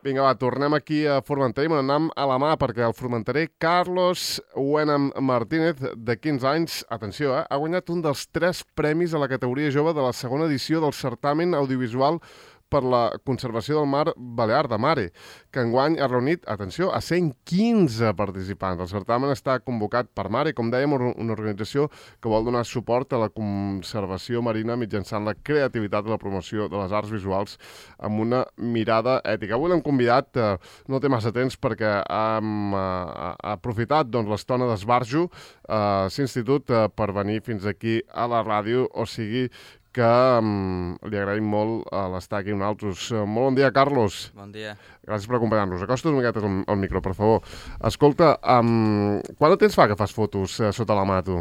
Vinga, va, tornem aquí a Formentera i me n'anem a la mà perquè el formenterer Carlos Huenam Martínez, de 15 anys, atenció, ha guanyat un dels 3 premis a la categoria jove de la segona edició del certamen audiovisual per la conservació del mar Balear de Mare, que enguany ha reunit, atenció, a 115 participants. El certamen està convocat per Mare, com dèiem, una organització que vol donar suport a la conservació marina mitjançant la creativitat i la promoció de les arts visuals amb una mirada ètica. Avui l'hem convidat, no té massa temps perquè ha aprofitat l'estona d'esbarjo a l'Institut per venir fins aquí a la ràdio, o sigui que li agraïm molt l'estar aquí amb nosaltres. Molt bon dia, Carlos. Bon dia. Gràcies per acompanyar-nos. Acosta't una miqueta al micro, per favor. Escolta, quant de temps fa que fas fotos sota la mà, tu?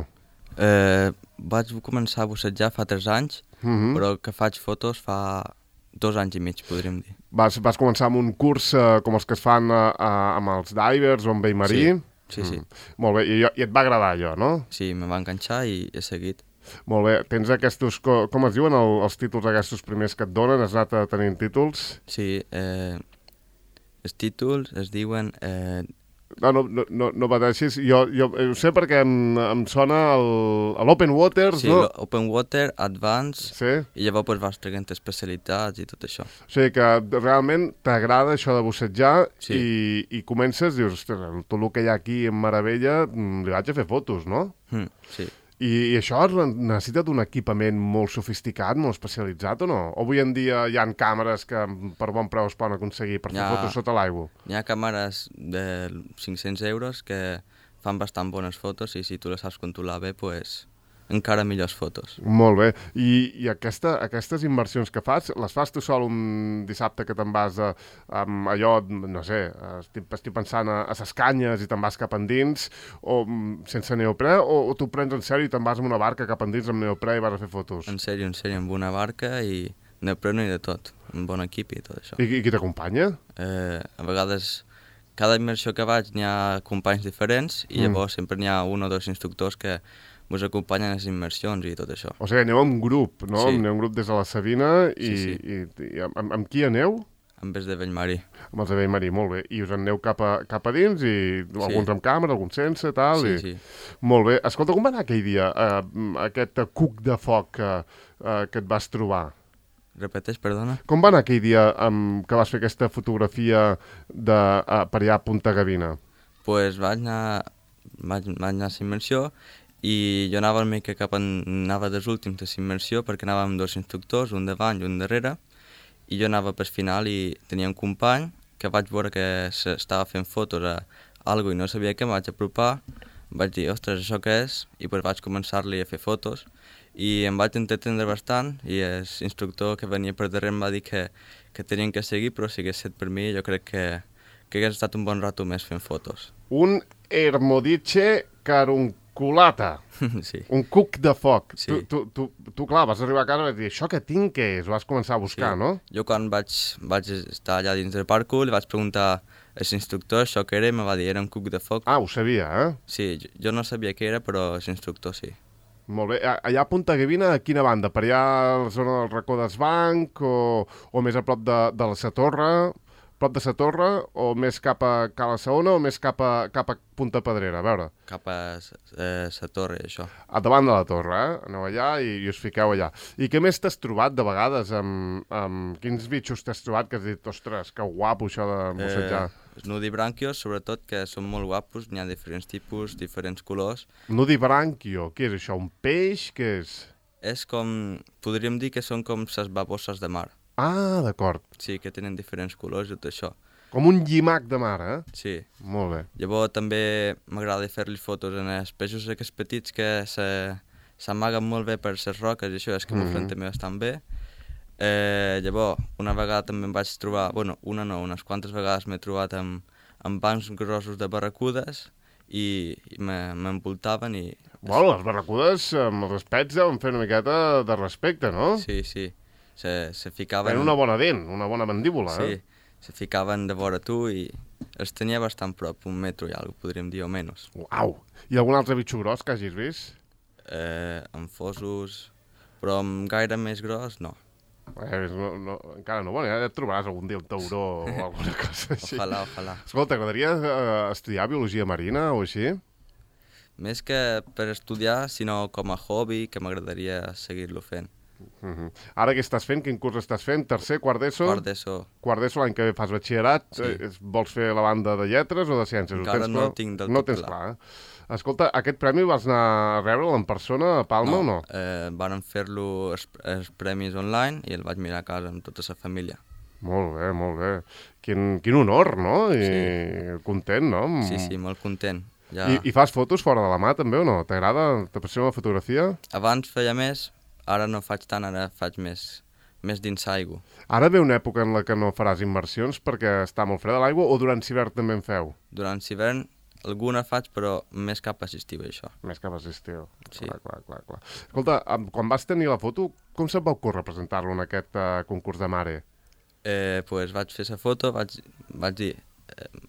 Vaig començar a bussejar fa 3 anys, però que faig fotos fa 2 anys i mig, podríem dir. Vas començar amb un curs com els que es fan amb els divers o amb vell-marí? Sí. Molt bé, i et va agradar allò, no? Sí, me va enganxar i he seguit. Molt bé. Tens aquests, com es diuen els títols aquests primers que et donen? Has anat tenint títols? Sí, els títols es diuen... No pateixis. Jo ho sé perquè em sona l'Open Waters, sí, no? Sí, l'Open Water, Advance, sí? I llavors vas traient especialitats i tot això. O sigui que realment t'agrada això de bussejar, sí. i comences, dius, ostres, tot el que hi ha aquí en Meravella, li vaig a fer fotos, no? Sí. I això necessita d'un equipament molt sofisticat, molt especialitzat, o no? O avui en dia hi ha càmeres que per bon preu es poden aconseguir per fer fotos sota l'aigua? Hi ha càmeres de 500 euros que fan bastant bones fotos i si tu les saps controlar bé, doncs encara millors fotos. Molt bé. I aquestes inversions que fas, les fas tu sol un dissabte que te'n vas allò, no sé, estic pensant a ses canyes i te'n vas cap endins, o sense neoprè, o tu prens en sèrio i te'n vas amb una barca cap endins amb neoprè i vas a fer fotos? En sèrio, amb una barca i neoprè i de tot, un bon equip i tot això. I qui t'acompanya? A vegades, cada immersió que vaig n'hi ha companys diferents i llavors sempre n'hi ha un o dos instructors que us acompanyen a les immersions i tot això. O sigui, aneu en grup, no? Sí. Aneu en grup des de la Sabina i amb qui aneu? Amb els de vell-marí. Amb els de vell-marí, molt bé. I us aneu cap a dins i alguns amb càmera, alguns sense, tal? Sí. Molt bé. Escolta, com va anar aquell dia, aquest cuc de foc que et vas trobar? Repeteix, perdona? Com va anar aquell dia que vas fer aquesta fotografia per allà a Punta Gavina? Doncs vaig anar a la immersió i jo anava una mica anava dels últims de la immersió perquè anava amb 2 instructors, un davant i un darrere, i jo anava pel final i tenia un company que vaig veure que estava fent fotos a algo i no sabia què, em vaig apropar, vaig dir, ostres, això què és? I doncs vaig començar-li a fer fotos i em vaig entretendre bastant i l'instructor que venia per darrere em va dir que tenien que seguir, però si hagués estat per mi jo crec que hagués estat un bon rato més fent fotos. Un Hermodice Carunculata. Sí. Un cuc de foc. Sí. Tu, clar, vas arribar a casa i vas dir, això què tinc, què és? Ho vas començar a buscar, sí. No? Jo quan vaig estar allà dins del parc, li vaig preguntar a l'instructor això què era i em va dir, era un cuc de foc. Ah, ho sabia, eh? Sí, jo no sabia què era, però l'instructor sí. Molt bé. Allà a Punta Gavina, a quina banda? Per allà a la zona del racó d'Esbanc o més a prop de la Sa Torre? Prop de Sa Torre o més cap a Cala Saona o més cap a Punta Pedrera? A veure. Cap a Sa Torre, això. A davant de la torre, eh? Aneu allà i us fiqueu allà. I què més t'has trobat de vegades? Quins bitxos t'has trobat que has dit, ostres, que guapo això de bussejar? Els nudibranquios, sobretot, que són molt guapos, n'hi ha diferents tipus, diferents colors. Nudibranquio, què és això? Un peix? Què és? És com, podríem dir que són com les baboses de mar. Ah, d'acord. Sí, que tenen diferents colors i tot això. Com un llimac de mar, eh? Sí. Molt bé. Llavors també m'agrada fer-li fotos en els peixos aquests petits que s'amaguen molt bé per les roques i això és que m'ofren també bastant bé. Llavors, una vegada també em vaig trobar, unes quantes vegades m'he trobat amb bancs grossos de barracudes i m'envoltaven i... Bueno, les barracudes amb els pets deuen fer una miqueta de respecte, no? Sí. Se ficaven... Tenen una bona dent, una bona mandíbula, sí, se ficaven de vora tu i els tenia bastant prop, 1 metro i alguna podríem dir, o menys. Uau! I algun altre bitxo gros que hagis vist? Amb fosos, però amb gaire més gros, no. Encara no, bueno, ja et trobaràs algun dia un tauró o alguna cosa així. Ojalà. Escolta, t'agradaria estudiar biologia marina o així? Més que per estudiar, sinó com a hobby, que m'agradaria seguir-lo fent. Ara què estàs fent? Quin curs estàs fent? Tercer, quart d'ESO? Quart d'ESO. Quart d'ESO, l'any que ve fas batxillerat. Sí. Vols fer la banda de lletres o de ciències? Encara no ho tinc del tot clar. No tens clar. Escolta, aquest premi vas anar a rebre'l en persona a Palma o no? Vàrem fer-lo els premis online i el vaig mirar a casa amb tota la família. Molt bé, molt bé. Quin honor, no? I content, no? Sí, molt content. Ja... I fas fotos fora de la mà també o no? T'agrada? T'apassiona la fotografia? Abans feia més, ara no faig tant, ara faig més dins l'aigua. Ara ve una època en la que no faràs immersions perquè està molt freda l'aigua o durant l'hivern també en feu? Durant l'hivern alguna faig, però més cap a l'estiu, això. Més cap a l'estiu. Sí. Clar. Escolta, quan vas tenir la foto, com se't va ocórrer presentar-lo en aquest concurs de mare? Pues vaig fer la foto, vaig dir,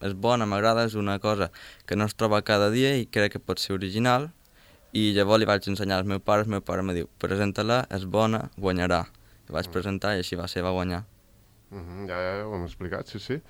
és bona, m'agrada, és una cosa que no es troba cada dia i crec que pot ser original, i llavors li vaig ensenyar al meu pare em diu, presenta-la, és bona, guanyarà. I vaig presentar i així va guanyar. Ja ho hem explicat, sí.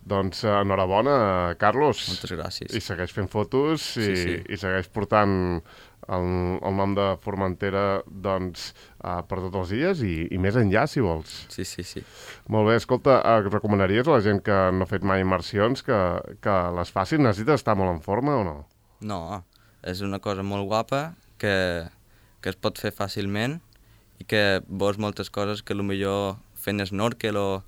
Doncs enhorabona, Carlos. Moltes gràcies. I segueix fent fotos i segueix portant el nom de Formentera doncs, per tots els dies i més enllà, si vols. Sí. Molt bé, escolta, recomanaries a la gent que no ha fet mai immersions que les facin? Necessites estar molt en forma o no? No, és una cosa molt guapa que es pot fer fàcilment i que veus moltes coses que potser fent snorkel o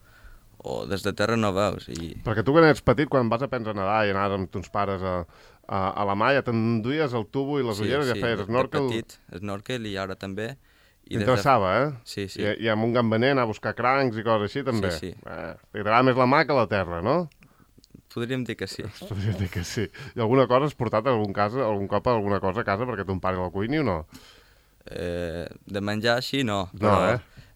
des de terra no veus. Perquè tu quan ets petit, quan vas aprendre a nedar i anaves amb tons pares a la mà, ja t'enduies el tubo i les ulleres, ja feies snorkel. Sí, de petit, snorkel i ara també. T'interessava, Sí. I amb un gambaner anar a buscar crancs i coses així també. Sí. T'agradava més la mà que la terra, no? Podríem dir que sí. Podríem dir que sí. I alguna cosa has portat algun cop alguna cosa a casa perquè ton pare la cuini o no? De menjar així no.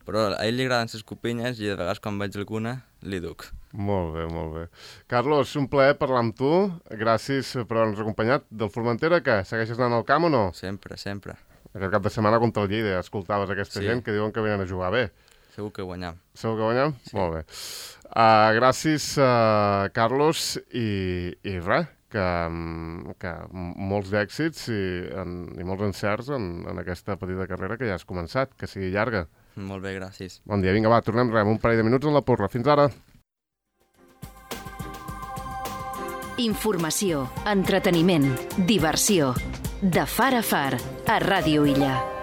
Però a ell li agraden les copinyes i de vegades quan veig alguna li duc. Molt bé. Carlos, un plaer parlar amb tu. Gràcies per haver-nos acompanyat. Del Formentera, què? Segueixes anant al camp o no? Sempre. Aquest cap de setmana contra el Lleida escoltaves aquesta gent que diuen que venen a jugar bé. Segur que guanyam. Sí. Molt bé. Gràcies, Carlos, i res, que molts d'èxits i molts encerts en aquesta petita carrera que ja has començat, que sigui llarga. Molt bé, gràcies. Bon dia, vinga, va, tornem un parell de minuts en la porra. Fins ara. Informació, entreteniment, diversió. De far a far, a Ràdio Illa.